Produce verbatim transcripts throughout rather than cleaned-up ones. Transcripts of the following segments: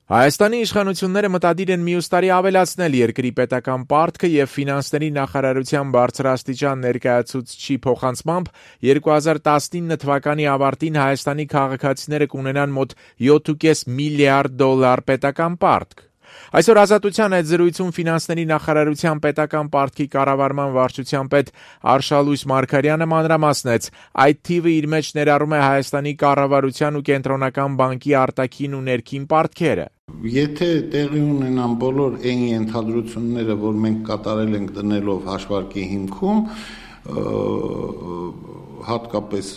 Հայաստանի իշխանությունները մտադիր են մյուս տարի ավելացնել երկրի պետական պարտքը եւ ֆինանսների նախարարության բարձրաստիճան ներկայացուցչի փոխանցմամբ երկու հազար տասնինը թվականի ավարտին Հայաստանի քաղաքացիները կունենան մոտ յոթ կόμμα պենջ միլիարդ դոլար պետական պարտք։ Այսօր Ազատության այդ զրույցում ֆինանսների նախարարության պետական պարտքի կառավարման վարչության պետ Արշալույս Մարգարյանը մանրամասնեց, այդ թիվը իր մեջ ներառում է Հայաստանի կառավարության ու կենտրոնական բանկի արտաքին ու ներքին պարտքերը։ Եթե տեղի ունենան բոլոր այն ենթադրությունները, որ մենք կատարել ենք դնելով հաշվարկի հիմքում, հատկապես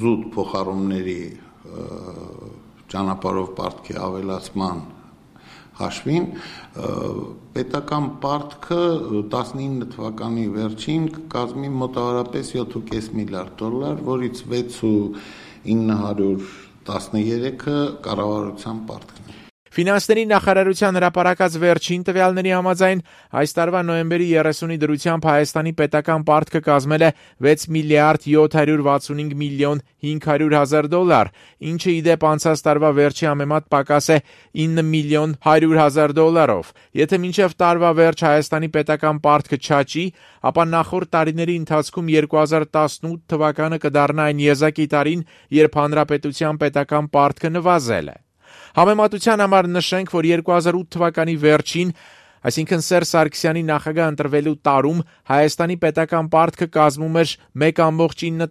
զուտ փոխառումների ճանապարհով պարտքի ավելացման հաշվին, պետական պարտքը տասնինը թվականի վերջին կկազմի մոտավորապես յոթ կόμμα պենջ միլիարդ դոլար, որից վեց միլիոն ինը հարյուր տասներեքը կառավարության պարտքն է։ Ֆինանսների նախարարության հրապարակած վերջին տվյալների համաձայն այս տարվա նոյեմբերի երեսունի դրությամբ Հայաստանի պետական պարտքը կազմել է վեց միլիարդ յոթ հարյուր վաթսունհինգ միլիոն հինգ հարյուր հազար դոլար, ինչը ի դեպ անցած տարվա վերջի համեմատ պակաս է ինը միլիոն հարյուր հազար դոլարով։ Եթե մինչև տարվա վերջ Հայաստանի պետական պարտքը չաճի, ապա նախորդ տարիների ընթացքում երկու հազար տասնութ թվականը կդառնա այն եզակի տարին, երբ հանրապետության պետական պարտքը նվազել է։ Համեմատության համար նշենք, որ երկու հազար ութ թվականի վերջին, այսինքն Սերժ Սարգսյանի նախագահ ընտրվելու տարում Հայաստանի պետական պարտքը կազմում էր մեկ կόμma ինը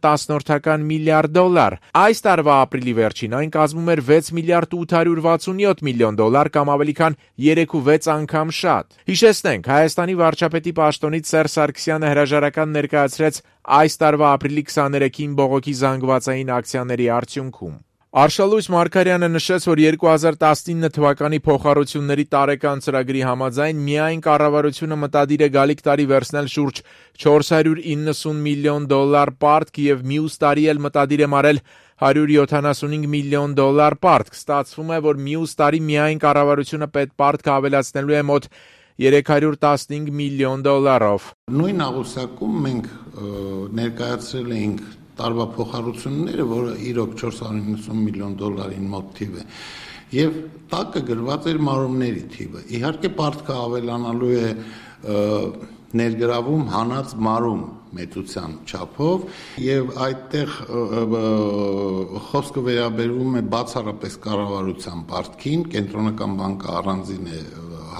միլիարդ դոլար։ Այս տարվա ապրիլի վերջին այն կազմում էր վեց միլիարդ ութ հարյուր վաթսունյոթ միլիոն դոլար կամ ավելի քան երեք ու վեց անգամ շատ։ Հիշեցնենք, Հայաստանի վարչապետի պաշտոնից Սերժ Սարգսյանը հրաժարական ներկայացրեց այս տարվա ապրիլի քսաներեքին բողոքի զանգվածային ակցիաների արդյունքում։ Արշալույս Մարգարյանը նշեց, որ երկու հազար տասնինը թվականի փոխառությունների տարեկան ծրագրի համաձայն միայն կառավարությունը մտադիր է գալիք տարի վերցնել շուրջ չորս հարյուր իննսուն միլիոն դոլար պարտք եւ մյուս տարի էլ մտադիր է մարել հարյուր յոթանասունհինգ միլիոն դոլար պարտք։ Ստացվում է, որ մյուս տարի միայն կառավարությունը պետպարտքը ավելացնելու է մոտ երեք հարյուր տասնհինգ միլիոն դոլարով։ Նույն աղյուսակում մենք ներկայացրել էինք տարվա փոխառությունները, որը իրոք չորս հարյուր իննսուն միլիոն դոլարին մոտ թիվ է, եւ տակը գրված էր մարումների թիվը։ Իհարկե պարտքը ավելանալու է ներգրավում հանած մարում մեծության չափով, եւ այդտեղ խոսքը վերաբերվում է բացառապես կառավարության պարտքին, կենտրոնական բանկը առանձին է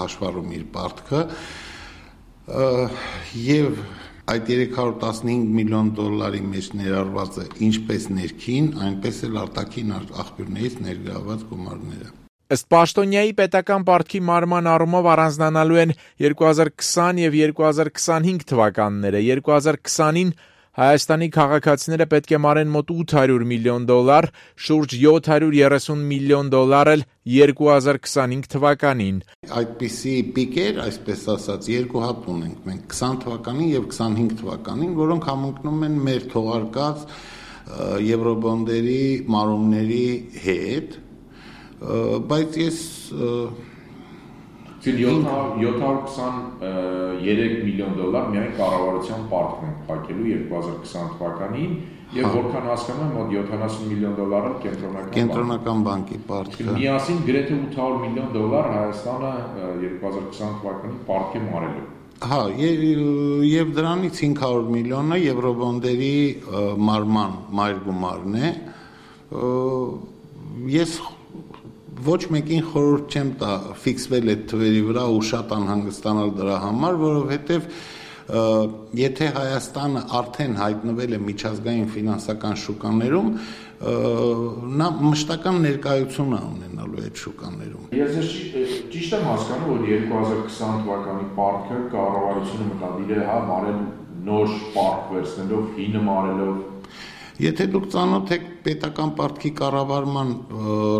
հաշվառում իր պարտքը, եւ այդ երեք հարյուր տասնհինգ միլիոն դոլարի մեջ ներառված է ինչպես ներքին, այնպես էլ արտաքին աղբյուրներից ներգրաված գումարները։ Ըստ պաշտոնյայի պետական պարտքի մարման առումով առանձնանալու են երկու հազար քսան եւ երկու հազար քսանհինգ թվականները։ երկու հազար քսանին Հայաստանի քաղաքացիները պետք է մարեն մոտ ութ հարյուր միլիոն դոլար, շուրջ յոթ հարյուր երեսուն միլիոն դոլար էլ երկու հազար քսանհինգ թվականին։ Այդպիսի պիկեր, այսպես ասած, երկու հատ ունենք մենք քսան թվականին եւ քսանհինգ թվականին, որոնք համընկնում են մեր թողարկած եվրոբոնդերի մարումների հետ, բայց ես յոթ հարյուր քսաներեք միլիոն դոլար միայն կառավարության պարտքն են փակելու երկու հազար քսան թվականին եւ որքան հասկանում եմ մոտ յոթանասուն միլիոն դոլարը կենտրոնական կենտրոնական բանկի պարտքը։ Միասին գրեթե ութ հարյուր միլիոն դոլար Հայաստանը երկու հազար քսան թվականին պարտք է մարելու։ Հա, եւ դրանից հինգ հարյուր միլիոնը եվրոբոնդերի մարման մայր գումարն է։ Ես ոչ մեկին խորհուրդ չեմ տա ֆիքսվել այդ թվերի վրա ու շատ անհանգստանալ դրա համար, որովհետև եթե Հայաստանը արդեն հայտնվել է միջազգային ֆինանսական շուկաներում, նա մշտական ներկայություն է ունենալու այդ շուկաներում։ Ես ճիշտ եմ հասկանում, որ երկու հազար քսան թվականի պարտքը կառավարությունը մտադիր է հա մարել նոր պարտք վերցնելով, հինը մարելով։ Եթե դուք ծանոթ եք պետական պարտքի կառավարման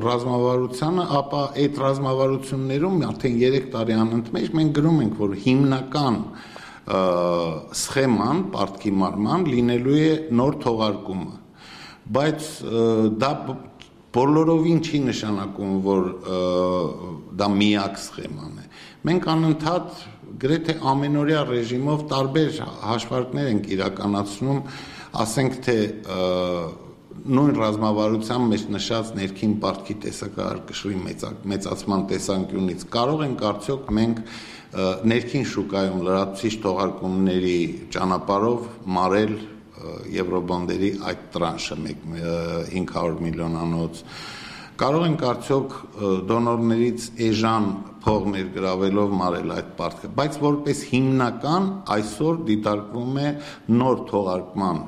ռազմավարությանը, ապա այդ ռազմավարություններում արդեն երեք տարի անընդմեջ մենք գրում ենք, որ հիմնական սխեման պարտքի մարման լինելու է նոր թողարկումը, բայց դա բոլորովին չի նշանակում, որ դա միակ սխեման է։ Մենք անընդհատ գրեթե ամենօրյա ռեժիմով տարբեր հաշվարկներ ենք իրականացնում, ասենք թե նույն ռազմավարության մեջ նշած ներքին պարտքի տեսակարգի մեծացման տեսանկյունից կարող ենք արդյոք մենք ներքին շուկայում լրացուցիչ թողարկումների ճանապարհով մարել եվրոբոնդերի այդ տրանշը հինգ հարյուր միլիոնանոց, կարող ենք արդյոք դոնորներից էժան փող ներգրավելով մարել այդ պարտքը, բայց որպես հիմնական այսօր դիտարկվում է նոր թողարկման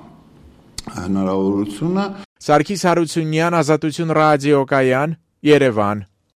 հնարավորությունը։ Սարգիս Հարությունյան, Ազատություն ռադիոկայան, Երևան։